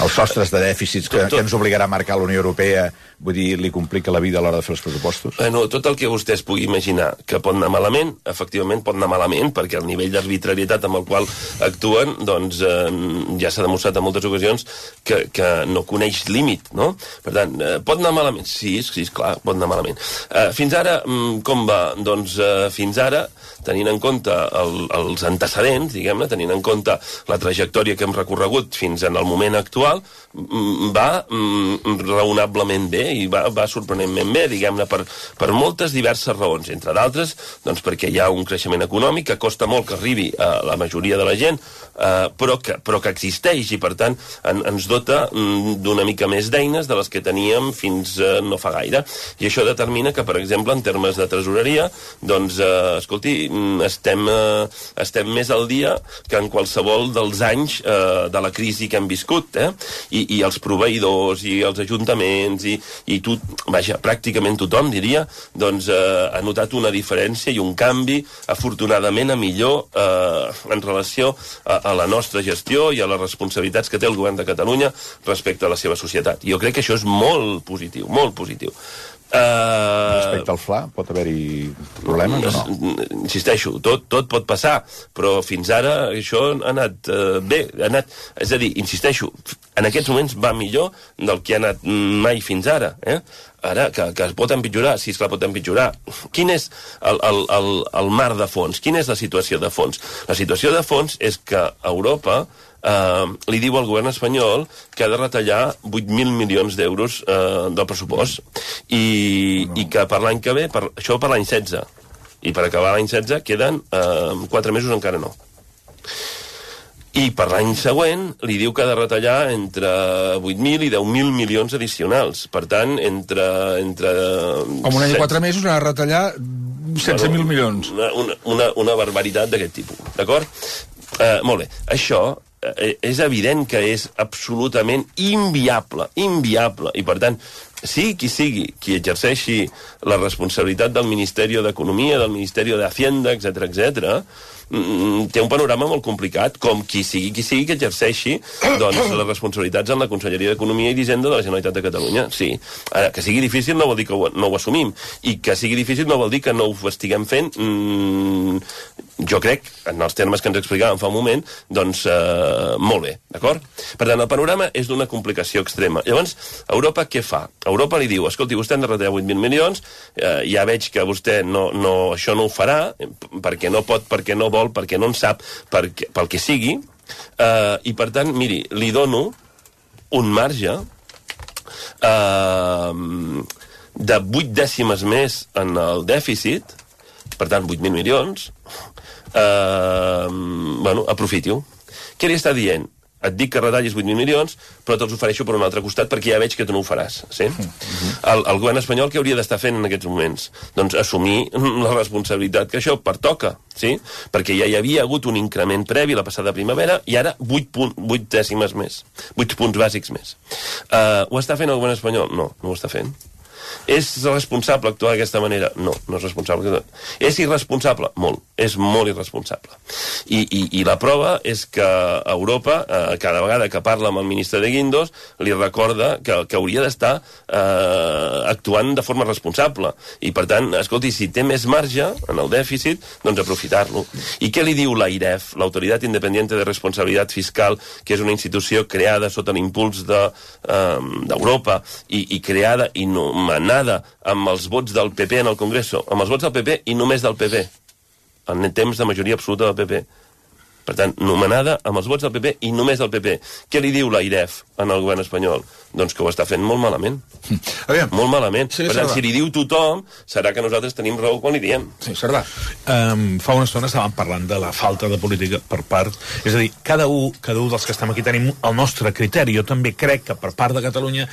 els sostres de dèficits que, tot, tot. que ens obligarà a marcar la Unió Europea, vull dir, li complica la vida a l'hora de fer els pressupostos? Bueno, tot el que vostè es pugui imaginar que pot anar malament, efectivament pot anar malament, perquè el nivell d'arbitrarietat amb el qual actuen, doncs eh, ja s'ha demostrat en moltes ocasions que, que no coneix límit, no? Per tant, eh, pot anar malament? Sí, sí, clar, pot anar malament. Eh, fins ara, com va? Doncs eh, fins ara, tenint en compte el, els antecedents, diguem-ne, tenint en compte la trajectòria que hem recorregut fins en el moment actual, va mm, raonablement bé i va, va sorprenentment bé, diguem-ne, per, per moltes diverses raons, entre d'altres, doncs perquè hi ha un creixement econòmic que costa molt que arribi a la majoria de la gent, eh, però, que, però que existeix i, per tant, en, ens dota mm, d'una mica més d'eines de les que teníem fins eh, no fa gaire. I això determina que, per exemple, en termes de tresoreria, doncs, eh, escolti, estem, eh, estem més al dia que en qualsevol dels anys eh, de la crisi que hem viscut, eh? I, i els proveïdors i els ajuntaments i, i tot, vaja, pràcticament tothom, diria, doncs eh, ha notat una diferència i un canvi, afortunadament, a millor eh, en relació a, a la nostra gestió i a les responsabilitats que té el govern de Catalunya respecte a la seva societat. I jo crec que això és molt positiu, molt positiu. Uh, Respecte al Fla, pot haver-hi problemes o no? Insisteixo, tot, tot pot passar, però fins ara això ha anat uh, bé, ha anat, és a dir, insisteixo, en aquests moments va millor del que ha anat mai fins ara, eh? Ara, que, que es pot empitjorar, sí, esclar, pot empitjorar. Quin és el, el, el, el mar de fons? Quina és la situació de fons? La situació de fons és que Europa eh, li diu al govern espanyol que ha de retallar vuit mil milions d'euros eh, del pressupost i, no. i que per l'any que ve, per, això per l'any setze, i per acabar l'any setze queden eh, quatre mesos encara no. I per l'any següent li diu que ha de retallar entre vuit mil i deu mil milions addicionals. Per tant, entre... entre Com un any i quatre mesos ha de retallar setze mil milions. Una, una, una barbaritat d'aquest tipus, d'acord? Uh, molt bé. Això és evident que és absolutament inviable, inviable, i per tant, sigui qui sigui qui exerceixi la responsabilitat del Ministeri d'Economia, del Ministeri d'Hacienda, etcètera, etcètera, té un panorama molt complicat, com qui sigui qui sigui que exerceixi doncs, les responsabilitats en la Conselleria d'Economia i d'Hisenda de la Generalitat de Catalunya. Sí. Ara, que sigui difícil no vol dir que ho, no ho assumim, i que sigui difícil no vol dir que no ho estiguem fent, mm, jo crec, en els termes que ens explicàvem fa un moment, doncs eh, molt bé, d'acord? Per tant, el panorama és d'una complicació extrema. Llavors, Europa què fa? Europa li diu, escolti, vostè han de retallar vuit mil milions, eh, ja veig que vostè no, no, això no ho farà, perquè no pot, perquè no vol, perquè no en sap, perquè, pel que sigui, eh, i per tant, miri, li dono un marge eh, de vuit dècimes més en el dèficit, per tant, vuit mil milions, eh, bueno, aprofiti-ho. Què li està dient? Et dic que retallis vuit mil milions, però te'ls ofereixo per un altre costat perquè ja veig que tu no ho faràs. Sí? Uh-huh. el, el govern espanyol què hauria d'estar fent en aquests moments? Doncs assumir la responsabilitat que això pertoca, sí? Perquè ja hi havia hagut un increment previ la passada primavera i ara vuit dècimes més, vuit punts bàsics més. Uh, ho està fent el govern espanyol? No, no ho està fent. És responsable actuar d'aquesta manera? No, no és responsable. És irresponsable? Molt. És molt irresponsable. I, i, i la prova és que Europa, eh, cada vegada que parla amb el ministre de Guindos, li recorda que, que hauria d'estar eh, actuant de forma responsable. I, per tant, escolti, si té més marge en el dèficit, doncs aprofitar-lo. I què li diu l'AIREF, l'Autoritat Independiente de Responsabilitat Fiscal, que és una institució creada sota l'impuls d'Europa de, eh, i, i creada i nomenada amb els vots del P P en el Congreso, amb els vots del P P i només del P P, en temps de majoria absoluta del P P. Per tant, nomenada amb els vots del P P i només del P P. Què li diu l'AIREF en el govern espanyol? Doncs que ho està fent molt malament. Aviam. Molt malament. Sí, per tant, Cerdà. si li diu tothom, serà que nosaltres tenim raó quan li diem. Sí, Cerdà. Um, fa una estona estàvem parlant de la falta de política per part... És a dir, cada un, cada un dels que estem aquí tenim el nostre criteri. Jo també crec que per part de Catalunya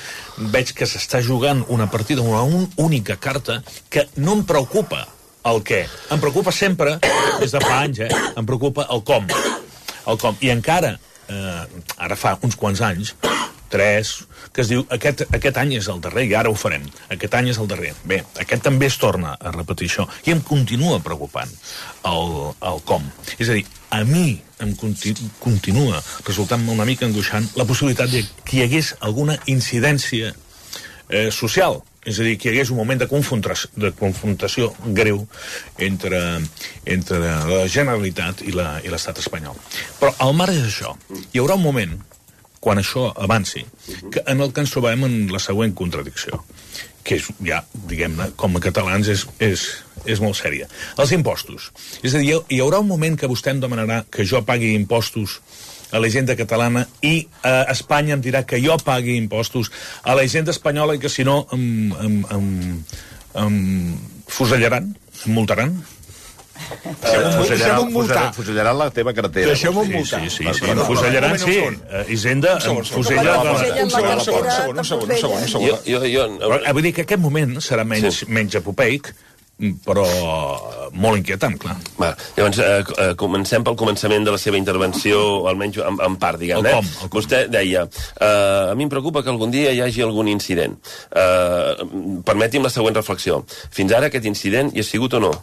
veig que s'està jugant una partida, una un, única carta, que no em preocupa el què. Em preocupa sempre, des de fa anys, eh? Em preocupa el com. El com. I encara, eh, ara fa uns quants anys, tres, que es diu, aquest, aquest any és el darrer i ara ho farem. Aquest any és el darrer. Bé, aquest també es torna a repetir això. I em continua preocupant el, el com. És a dir, a mi em continu, continua resultant una mica angoixant la possibilitat de que hi hagués alguna incidència eh, social. És a dir, que hi hagués un moment de confrontació, de confrontació greu entre, entre la Generalitat i la, i l'estat espanyol. Però al marge d'això, hi haurà un moment, quan això avanci, que en el que ens trobem en la següent contradicció, que és, ja, diguem-ne, com a catalans és, és, és molt sèria. Els impostos. És a dir, hi haurà un moment que vostè em demanarà que jo pagui impostos a la hisenda catalana i a Espanya em dirà que jo pagui impostos a la hisenda espanyola i que si no em, em, em, em fusellaran, em multaran. Deixem-ho multar. Fusellaran la teva cartera. Deixem-ho multar. Sí, sí, sí. Em fusellaran, sí. Hisenda em fusella... Un segon, un segon, un segon, un segon, un segon. Jo, jo, jo... Però, vull dir que aquest moment serà menys, menys apopeic, però molt inquietant, clar. Va, llavors, eh, eh, comencem pel començament de la seva intervenció, almenys en, en part, diguem-ne. El com, el com. Vostè deia, eh, a mi em preocupa que algun dia hi hagi algun incident. Eh, permeti'm la següent reflexió. Fins ara aquest incident hi ha sigut o no?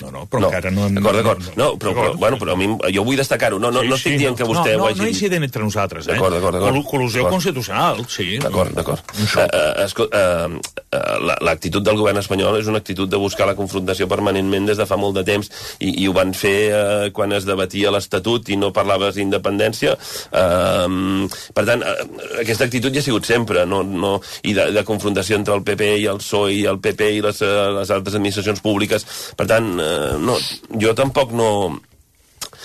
No, no, però no. encara no... D'acord, d'acord. No, però, però, bueno, però a mi, jo vull destacar-ho. No, no, sí, no estic sí, dient no. que vostè no, no, ho hagi no dit. incident entre nosaltres, eh? D'acord, d'acord, d'acord. Col col·lusió d'acord. constitucional, sí. D'acord, d'acord. Uh, uh, uh, uh, L'actitud del govern espanyol és una actitud de buscar la confrontació permanentment des de fa molt de temps i, i ho van fer uh, quan es debatia l'Estatut i no parlaves d'independència. Uh, per tant, uh, aquesta actitud ja ha sigut sempre, no, no, i de, de confrontació entre el P P i el P S O E i el P P i les, uh, les altres administracions públiques. Per tant, uh, no, jo tampoc no...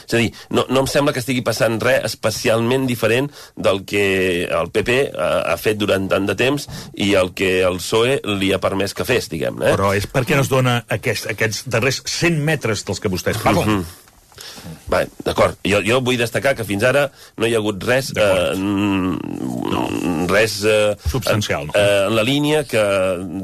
És a dir, no, no em sembla que estigui passant res especialment diferent del que el P P ha, ha fet durant tant de temps i el que el P S O E li ha permès que fes, diguem-ne. Eh? Però és perquè no es dona aquest, aquests darrers cent metres dels que vostès parlen. Mm-hmm. Va, d'acord. Jo, jo vull destacar que fins ara no hi ha hagut res... Eh, no. Res... Eh, substancial, no? Eh, en la línia que,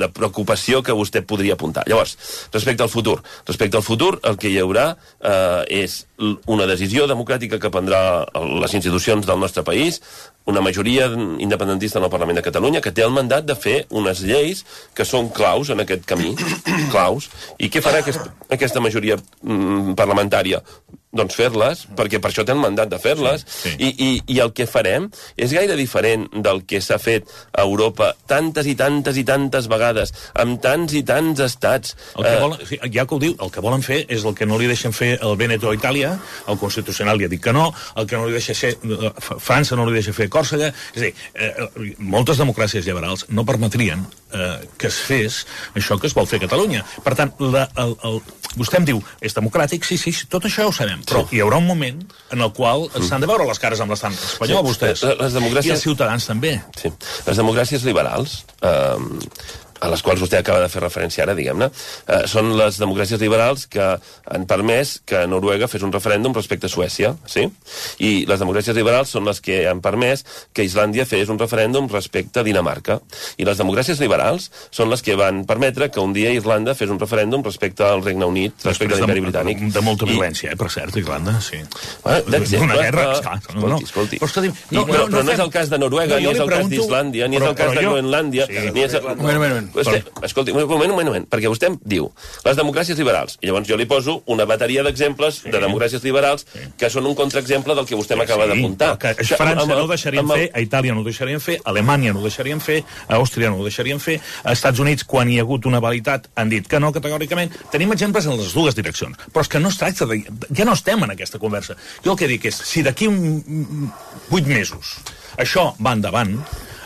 de preocupació que vostè podria apuntar. Llavors, respecte al futur. Respecte al futur, el que hi haurà eh, és una decisió democràtica que prendrà les institucions del nostre país, una majoria independentista en el Parlament de Catalunya, que té el mandat de fer unes lleis que són claus en aquest camí, claus. I què farà aquest, aquesta majoria mm, parlamentària? Doncs fer-les, perquè per això té el mandat de fer-les, sí, sí. I, i, i el que farem és gaire diferent del que s'ha fet a Europa tantes i tantes i tantes vegades, amb tants i tants estats. El que volen, ja que ho diu, el que volen fer és el que no li deixen fer el Veneto a Itàlia, el Constitucional li ha dit que no, el que no li deixa fer, França no li deixa fer Còrsega, és a dir, eh, moltes democràcies liberals no permetrien eh, que es fes això que es vol fer a Catalunya. Per tant, la, el, el, vostè em diu, és democràtic? Sí, sí, tot això ho sabem. Però hi haurà un moment en el qual s'han de veure les cares amb l'estat espanyol, sí, vostès. Les democràcies... I els ciutadans també. Sí. Les democràcies liberals, eh, a les quals vostè acaba de fer referència ara, diguem-ne, eh, són les democràcies liberals que han permès que Noruega fes un referèndum respecte a Suècia, sí? I les democràcies liberals són les que han permès que Islàndia fes un referèndum respecte a Dinamarca. I les democràcies liberals són les que van permetre que un dia Irlanda fes un referèndum respecte al Regne Unit, respecte a l'Imperi Britànic. De, de molta violència, I... eh, per cert, Irlanda, sí. Bueno, d'exemple. Una guerra, esclar. Escolti, no, escolti. Però, escolti, no, no, però, però no és el cas de Noruega, no, ni és el cas d'Islàndia, ni és el cas de Groenlàndia, ni és el... Un moment, un moment. Escolti, un moment, un moment, perquè vostè em diu les democràcies liberals, i llavors jo li poso una bateria d'exemples sí. de democràcies liberals sí. que són un contraexemple del que vostè m'acaba sí, d'apuntar. Que a França no ho deixarien fer, a Itàlia no ho deixarien fer, a Alemanya no ho deixarien fer, a Àustria no ho deixarien fer, a Estats Units, quan hi ha hagut una validitat, han dit que no, categòricament. Tenim exemples en les dues direccions, però és que no es tracta de... Ja no estem en aquesta conversa. Jo el que dic és, si d'aquí vuit mesos això va endavant,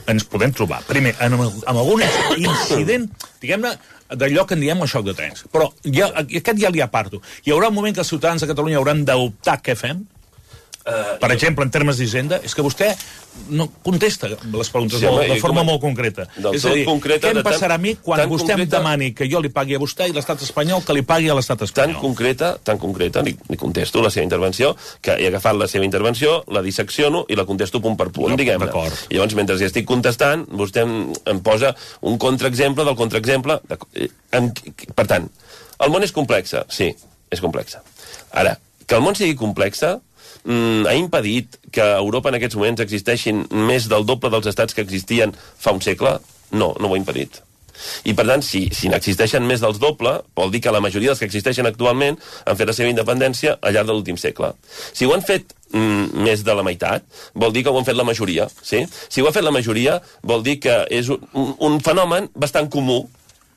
ens podem trobar, primer, en, en algun incident, diguem-ne, d'allò que en diem el xoc de trens. Però ja, aquest ja li aparto. Hi haurà un moment que els ciutadans de Catalunya hauran d'optar què fem? Uh, per exemple, en termes d'Hisenda, és que vostè no contesta les preguntes sí, home, de forma com... molt concreta. És a dir, concreta, què em passarà a mi quan vostè concreta... em demani que jo li pagui a vostè i l'estat espanyol que li pagui a l'estat espanyol? Tan concreta, tan concreta, li, li contesto la seva intervenció, que he agafat la seva intervenció, la dissecciono i la contesto punt per punt, no, diguem-ne. I llavors, mentre hi estic contestant, vostè em, em posa un contraexemple del contraexemple. De... Per tant, el món és complex, sí, és complex. Ara, que el món sigui complex mm, ha impedit que a Europa en aquests moments existeixin més del doble dels estats que existien fa un segle? No, no ho ha impedit. I, per tant, si, si n'existeixen més dels doble, vol dir que la majoria dels que existeixen actualment han fet la seva independència al llarg de l'últim segle. Si ho han fet mm, més de la meitat, vol dir que ho han fet la majoria, sí? Si ho ha fet la majoria, vol dir que és un, un, un fenomen bastant comú.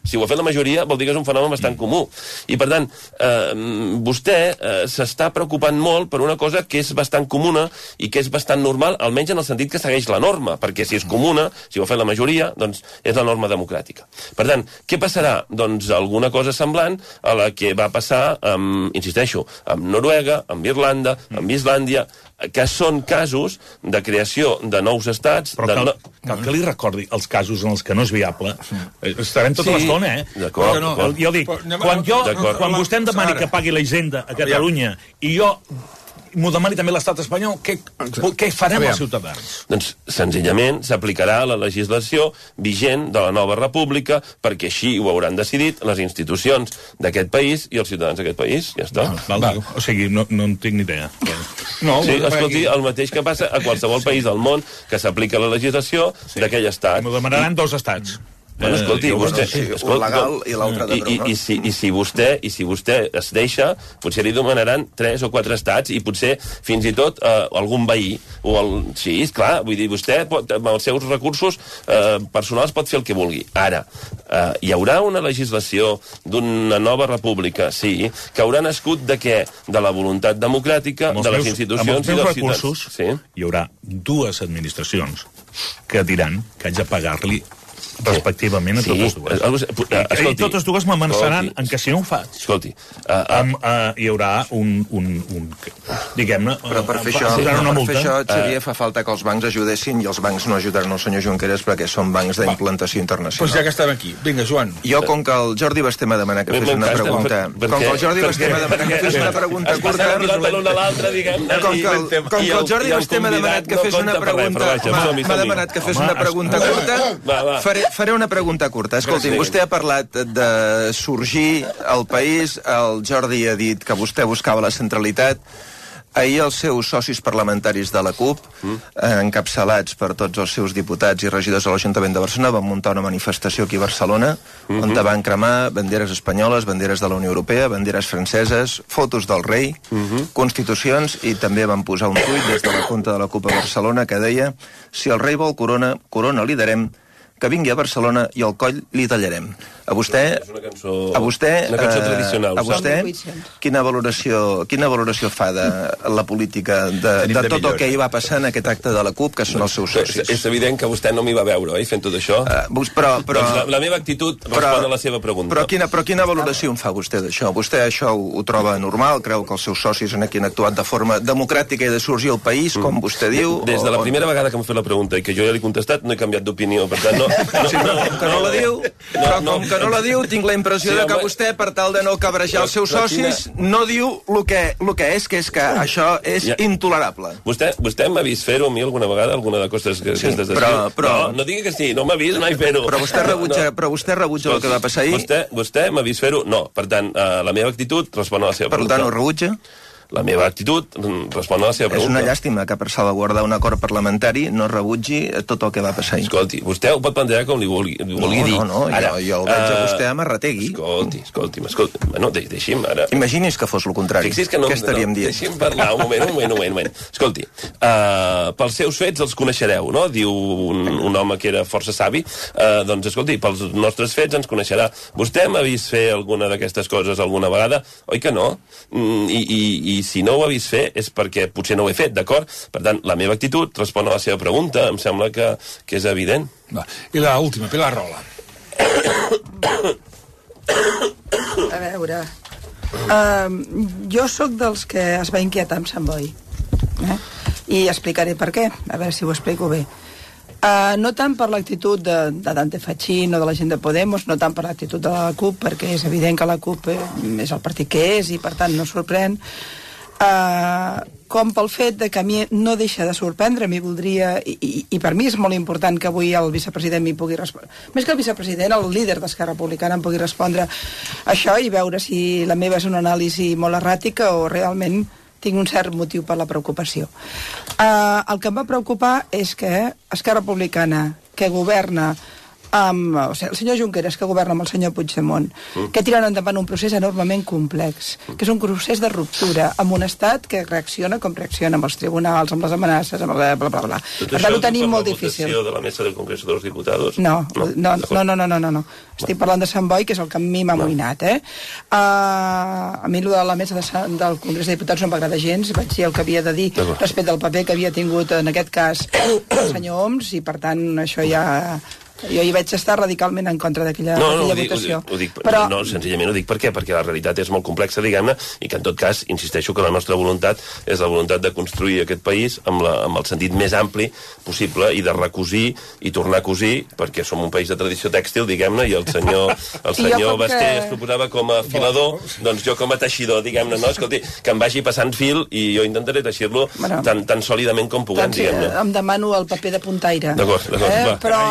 Si ho ha fet la majoria, vol dir que és un fenomen bastant comú. I, per tant, eh, vostè eh, s'està preocupant molt per una cosa que és bastant comuna i que és bastant normal, almenys en el sentit que segueix la norma, perquè si és comuna, si ho ha fet la majoria, doncs és la norma democràtica. Per tant, què passarà? Doncs alguna cosa semblant a la que va passar, amb, insisteixo, amb Noruega, amb Irlanda, amb Islàndia, que són casos de creació de nous estats... Però cal, de... cal que li recordi els casos en els que no és viable. Estarem tota sí, l'estona, eh? D'acord. No, jo dic, quan, jo, quan vostè em demani que pagui la Hisenda a Catalunya i jo m'ho demani també l'estat espanyol, què, què farem els ciutadans? Doncs, senzillament, s'aplicarà la legislació vigent de la nova república, perquè així ho hauran decidit les institucions d'aquest país i els ciutadans d'aquest país. Ja està. Val, val. O sigui, no, no en tinc ni idea. No, sí, escolti, el mateix que passa a qualsevol país del món que s'aplica la legislació sí. d'aquell estat. M'ho demanaran I... dos estats. Bueno, escolti, eh, vostè, sí, escolti, un legal i l'altre de i, i, i, si, i, si vostè, I si vostè es deixa, potser li demanaran tres o quatre estats i potser fins i tot eh, algun veí. O el, sí, esclar, vull dir, vostè pot, amb els seus recursos eh, personals pot fer el que vulgui. Ara, eh, hi haurà una legislació d'una nova república, sí, que haurà nascut de què? De la voluntat democràtica, de les institucions i dels ciutadans. Sí? Hi haurà dues administracions que diran que haig de pagar-li respectivament, a totes dues. I totes dues m'amenaçaran en que si no ho faig, escolti, hi haurà un, diguem-ne, però per fer això, Xavier, fa falta que els bancs ajudessin i els bancs no ajudaran el senyor Junqueras perquè són bancs d'implantació internacional. Doncs ja que estem aquí. Vinga, Joan. Jo, com que el Jordi Basté m'ha demanat que fes una pregunta... Com que el Jordi Basté m'ha demanat que fes una pregunta curta... Com que el Jordi Basté m'ha demanat que fes una pregunta... M'ha demanat que fes una pregunta curta... Faré una pregunta curta. Escolti, vostè ha parlat de sorgir al país, el Jordi ha dit que vostè buscava la centralitat. Ahir els seus socis parlamentaris de la CUP, encapçalats per tots els seus diputats i regidors de l'Ajuntament de Barcelona, van muntar una manifestació aquí a Barcelona, on van cremar banderes espanyoles, banderes de la Unió Europea, banderes franceses, fotos del rei, constitucions, i també van posar un tuit des de la compte de la CUP a Barcelona que deia: si el rei vol corona, corona li darem, que vingui a Barcelona i el coll li tallarem. A vostè, és una cançó, a vostè, una cançó tradicional. A vostè, quina valoració, quina valoració fa de la política, de, de tot el que hi va passar en aquest acte de la CUP, que són els seus socis? És evident que vostè no m'hi va veure, oi, fent tot això? Uh, però, però, doncs la, la meva actitud respon però, a la seva pregunta. Però quina, però quina valoració en fa vostè d'això? Vostè això ho, ho troba normal? Creu que els seus socis en aquí han actuat de forma democràtica i de sorgir al país, com mm. vostè diu? Des de la o, primera o... vegada que m'ha fet la pregunta i que jo ja l'he contestat, no he canviat d'opinió, per tant, no... no, sí, no, com que no la diu, no, però com que no la diu, tinc la impressió sí, de que home, vostè, per tal de no cabrejar els seus socis, quina... no diu el que, el que és, que és que això és ja. intolerable. Vostè, vostè m'ha vist fer-ho a mi alguna vegada, alguna de costes que, sí, que però, però... No, no digui que sí, no m'ha vist mai fer-ho. Però vostè rebutja, no. però vostè rebutja el que va passar ahir? Vostè, vostè m'ha vist fer-ho? No. Per tant, uh, la meva actitud respon a la seva per pregunta. Per tant, ho rebutja? La meva actitud respon a la seva pregunta. És una llàstima que per salvaguardar un acord parlamentari no rebutgi tot el que va passar ahir. Escolti, vostè ho pot plantejar com li vulgui, li vulgui no, dir. No, no, ara, jo, jo el veig a vostè a marrategui. Escolti, escolti, escolti. Bueno, de, deixi'm ara... Imagini's que fos el contrari. Fixi's que no... Què estaríem no, dient? Deixi'm parlar un moment, un moment, un moment. Escolti, uh, pels seus fets els coneixereu, no? Diu un, un home que era força savi. Uh, doncs, escolti, pels nostres fets ens coneixerà. Vostè m'ha vist fer alguna d'aquestes coses alguna vegada? Oi que no? Mm, i, i, I si no ho ha vist fer és perquè potser no ho he fet, d'acord? Per tant, la meva actitud respon a la seva pregunta, em sembla que, que és evident. Va. I l'última, Pilar Rola. A veure, uh, jo sóc dels que es va inquietar amb Sant Boi, eh? I explicaré per què, a veure si ho explico bé. Uh, no tant per l'actitud de, de Dante Fachin o de la gent de Podemos, no tant per l'actitud de la CUP, perquè és evident que la CUP eh, és el partit que és i per tant no sorprèn, Uh, com pel fet de que a mi no deixa de sorprendre, m'hi voldria, i, i, i per mi és molt important que avui el vicepresident m'hi pugui respondre, més que el vicepresident, el líder d'Esquerra Republicana em pugui respondre això i veure si la meva és una anàlisi molt erràtica o realment tinc un cert motiu per la preocupació. Uh, el que em va preocupar és que Esquerra Republicana, que governa amb o sigui, el senyor Junqueras, que governa amb el senyor Puigdemont, mm. que tiren endavant un procés enormement complex, mm. que és un procés de ruptura amb un estat que reacciona com reacciona amb els tribunals, amb les amenaces, amb el bla, bla, bla. Tot per tant, ho tenim molt difícil. De la mesa del Congreso de los Diputados? No, no, no, no, no, no, no, no, no. Estic parlant de Sant Boi, que és el que a mi m'ha no. amoïnat, eh? Uh, a mi allò de la mesa de, del Congrés de Diputats no m'agrada gens, vaig dir el que havia de dir respecte al paper que havia tingut en aquest cas el senyor Homs, i per tant això ja... Jo hi vaig estar radicalment en contra d'aquella no, no, votació. Ho dic, ho dic, però... No, senzillament ho dic per què? Perquè la realitat és molt complexa, diguem-ne, i que en tot cas, insisteixo que la nostra voluntat és la voluntat de construir aquest país amb, la, amb el sentit més ampli possible i de recosir i tornar a cosir, perquè som un país de tradició tèxtil, diguem-ne, i el senyor, el senyor Basté que... es proposava com a filador, doncs jo com a teixidor, diguem-ne, no? Escolti, que em vagi passant fil i jo intentaré teixir-lo bueno, tan, tan sòlidament com puguem, doncs, diguem-ne. Em demano el paper de puntaire. D'acord, d'acord, eh? va. Però...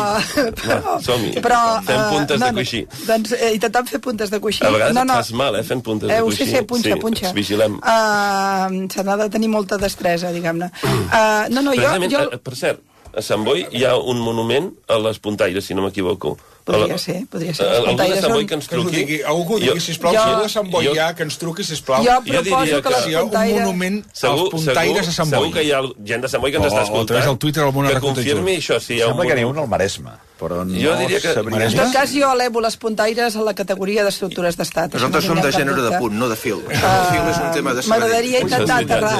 Va, som-hi. Però, fem puntes uh, no, de coixí. Doncs eh, intentant fer puntes de coixí. A vegades no, no. et fas mal, eh, fent puntes eh, de coixí. Sí, sí, punxa, sí, punxa. Ens vigilem. Uh, Se n'ha de tenir molta destresa, diguem-ne. Uh, no, no, jo, jo... Per cert, a Sant Boi hi ha un monument a les puntaires, si no m'equivoco. Podria ser, podria ser. Algú de Sant Boi que ens truqui. Que algú digui, sisplau, si algú de Sant Boi hi ha, que ens truqui, sisplau. Jo proposo que les puntaires... un monument als puntaires a Sant Boi. Segur que hi ha gent de Sant Boi que ens està escoltant. O el Twitter, que confirmi això. Si hi ha Sembla que n'hi ha un al Maresme. però no jo diria que... sabria... En tot cas, jo elevo les puntaires a la categoria d'estructures d'estat. Nosaltres som de gènere de punt, no de fil. Uh, el fil és un tema de saber. M'agradaria intentar aterrar.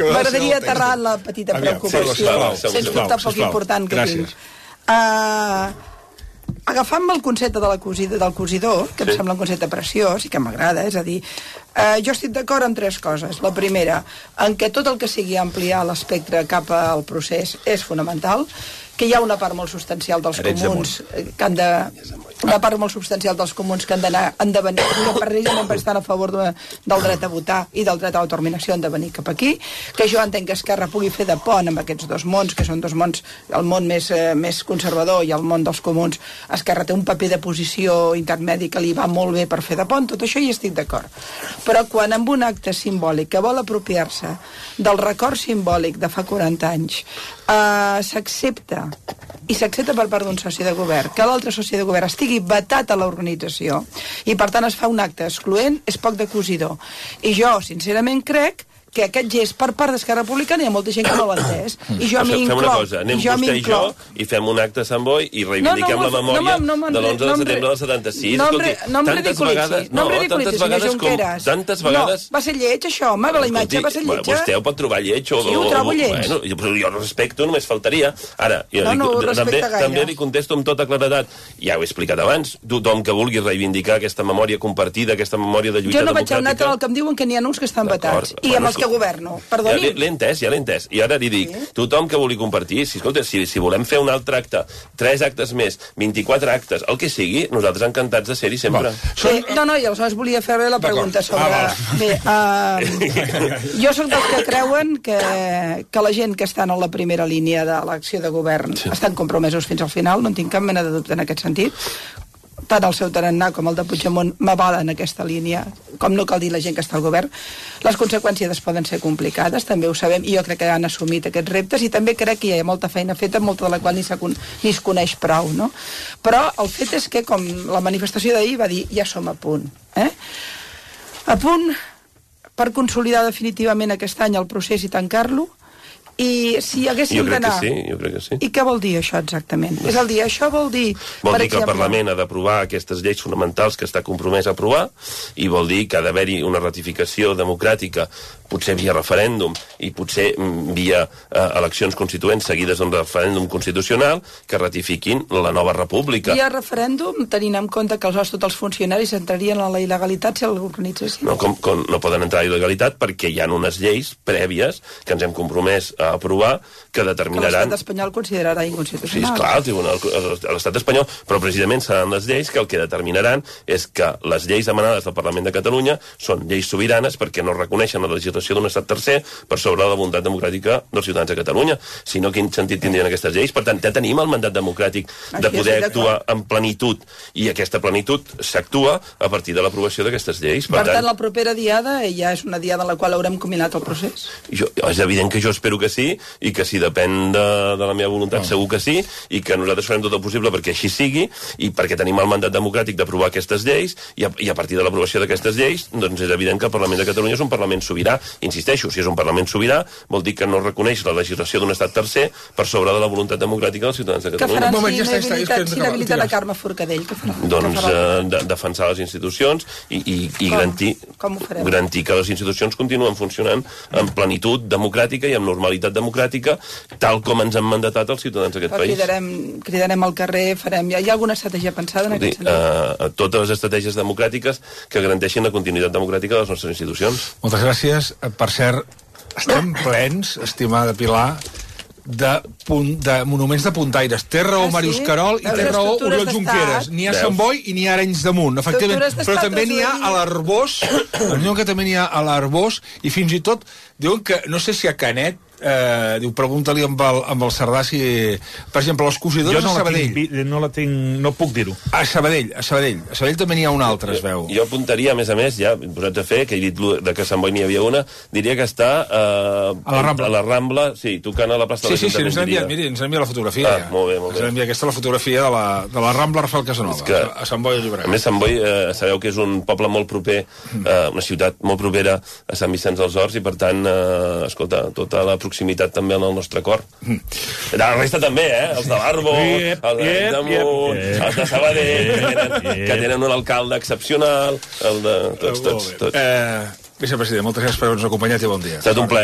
M'agradaria aterrar en la petita preocupació, sens dubte poc important que tinc. Agafant-me el concepte de la cosida, del cosidor, que em sí. sembla un concepte preciós i que m'agrada, és a dir, eh, jo estic d'acord amb tres coses. La primera, en què tot el que sigui ampliar l'espectre cap al procés és fonamental, que hi ha una part molt substancial dels comuns que han de... una part molt substancial dels comuns que han d'anar han de venir, que precisament per estar a favor de, del dret a votar i del dret a l'autodeterminació han de venir cap aquí, que jo entenc que Esquerra pugui fer de pont amb aquests dos mons, que són dos mons, el món més, eh, més conservador i el món dels comuns. Esquerra té un paper de posició intermedi que li va molt bé per fer de pont, tot això hi estic d'acord. Però quan amb un acte simbòlic que vol apropiar-se del record simbòlic de fa quaranta anys eh, s'accepta i s'accepta per part d'un soci de govern que l'altre soci de govern estigui vetat a l'organització i per tant es fa un acte excloent, és poc de cosidor. I jo, sincerament, crec que aquest gest per part d'Esquerra Republicana hi ha molta gent que no l'ha entès. I jo m'hi inclou. Fem una cosa, anem vostè i jo i fem un acte a Sant Boi i reivindiquem no, no, la memòria no, no, no, de l'onze de setembre del setanta-sis. No, no em ridiculitzi, no em ridiculitzi, senyor Junqueras. Tantes vegades... No, va ser lleig, això, home, la imatge va ser lletja. Vostè ho pot trobar lleig o... Sí, ho trobo lleig. Bueno, jo respecto, només faltaria. Ara, també li contesto amb tota claredat. Ja ho he explicat abans, tothom que vulgui reivindicar aquesta memòria compartida, aquesta memòria de lluita democràtica... Jo no vaig a anar tant el que em diuen que n'hi ha uns que estan vetats. I amb els que governo. Ja l'he entès, ja l'he entès. I ara li dic, sí. tothom que vulgui compartir, si, escolta, si, si volem fer un altre acte, tres actes més, vint-i-quatre actes, el que sigui, nosaltres encantats de ser-hi sempre. Sí, no, no, i aleshores volia fer-li la pregunta sobre... Ah, bé, uh, jo soc dels que creuen que, que la gent que estan a la primera línia de l'acció de govern sí. estan compromesos fins al final, no en tinc cap mena de dubte en aquest sentit. Tant el seu tarannà com el de Puigdemont m'avalen aquesta línia, com no cal dir la gent que està al govern. Les conseqüències poden ser complicades, també ho sabem, i jo crec que han assumit aquests reptes, i també crec que hi ha molta feina feta, molta de la qual ni, ni es coneix prou, no? Però el fet és que, com la manifestació d'ahir va dir, ja som a punt. Eh? A punt per consolidar definitivament aquest any el procés i tancar-lo, i si haguéssim d'anar... Jo crec que sí, jo crec que sí. I què vol dir això exactament? És el dir, això vol dir... Vol dir que el Parlament ha d'aprovar aquestes lleis fonamentals que està compromès a aprovar i vol dir que ha d'haver-hi una ratificació democràtica, potser via referèndum i potser via eh, eleccions constituents seguides d'un referèndum constitucional que ratifiquin la nova república. Via referèndum, tenint en compte que els, tots els funcionaris entrarien en la il·legalitat si l'organitzessin? No, com, com, no poden entrar a il·legalitat perquè hi ha unes lleis prèvies que ens hem compromès a aprovar que determinaran... Que l'estat espanyol considerarà inconstitucional. Sí, esclar, el tribunal, l'estat espanyol, però precisament seran les lleis que el que determinaran és que les lleis emanades del Parlament de Catalunya són lleis sobiranes perquè no reconeixen la legislació d'un estat tercer per sobre de la voluntat democràtica dels ciutadans de Catalunya. Si no, quin sentit tindrien aquestes lleis? Per tant, ja tenim el mandat democràtic de poder actuar en plenitud i aquesta plenitud s'actua a partir de l'aprovació d'aquestes lleis. Per, per tant, tant, la propera diada ja és una diada en la qual haurem combinat el procés? Jo, és evident que jo espero que sí, i que si depèn de, de la meva voluntat no. segur que sí, i que nosaltres farem tot el possible perquè així sigui, i perquè tenim el mandat democràtic d'aprovar aquestes lleis, i a, i a partir de l'aprovació d'aquestes lleis, doncs és evident que el Parlament de Catalunya és un Parlament sobirà. Insisteixo, si és un Parlament sobirà, vol dir que no reconeix la legislació d'un estat tercer per sobre de la voluntat democràtica dels ciutadans de Catalunya. Què faran si ja inhabilitat, si inhabilitat a Carme Forcadell? Què faran? Doncs eh, de, defensar les institucions i, i, i com? garantir, com garantir que les institucions continuen funcionant en plenitud democràtica i amb normalitat democràtica, tal com ens han mandatat els ciutadans d'aquest país. Cridarem, cridarem al carrer, farem... Hi ha alguna estratègia pensada en aquest sentit? Uh, totes les estratègies democràtiques que garanteixin la continuïtat democràtica de les nostres institucions. Moltes gràcies. Per cert, estem plens, estimada Pilar, de, punt, de monuments de puntaires. Té raó ah, sí? Màrius Carol i té raó Oriol Junqueras. N'hi ha a Sant Boi i n'hi ha a Arenys de Munt, efectivament. Però també n'hi ha a l'Arbós, diuen que també n'hi ha a l'Arbós, i fins i tot diuen que, no sé si a Canet, Eh, diu, pregunta-li amb el, amb el Cerdà si, per exemple, els cosidors no a Sabadell. Tinc, no la tinc, no puc dir-ho. A Sabadell, a Sabadell. A Sabadell també n'hi ha una altra, es veu. Jo, jo apuntaria, a més a més, ja posats a fer, que he dit de que a Sant Boi n'hi havia una, diria que està eh, a la Rambla. A la Rambla, sí, tocant a la plaça sí, de l'Ajuntament. Sí, sí, ens ha enviat, miri, ens ha enviat la fotografia. Ah, ja. molt bé, molt bé. Ens ha enviat aquesta la fotografia de la, de la Rambla Rafael Casanova, que, a Sant Boi de Llobregat. A més, Sant Boi, eh, sabeu que és un poble molt proper, eh, una ciutat molt propera a Sant Vicenç dels Horts, i per tant, eh, escolta, tota la proximitat també en el nostre cor. De la resta també, eh? Els de l'Arbo, els de Damunt, els de Sabadell, que tenen un alcalde excepcional, el de tots, tots, tots. Eh, vicepresident, moltes gràcies per haver-nos acompanyat i bon dia. Ha estat un plaer.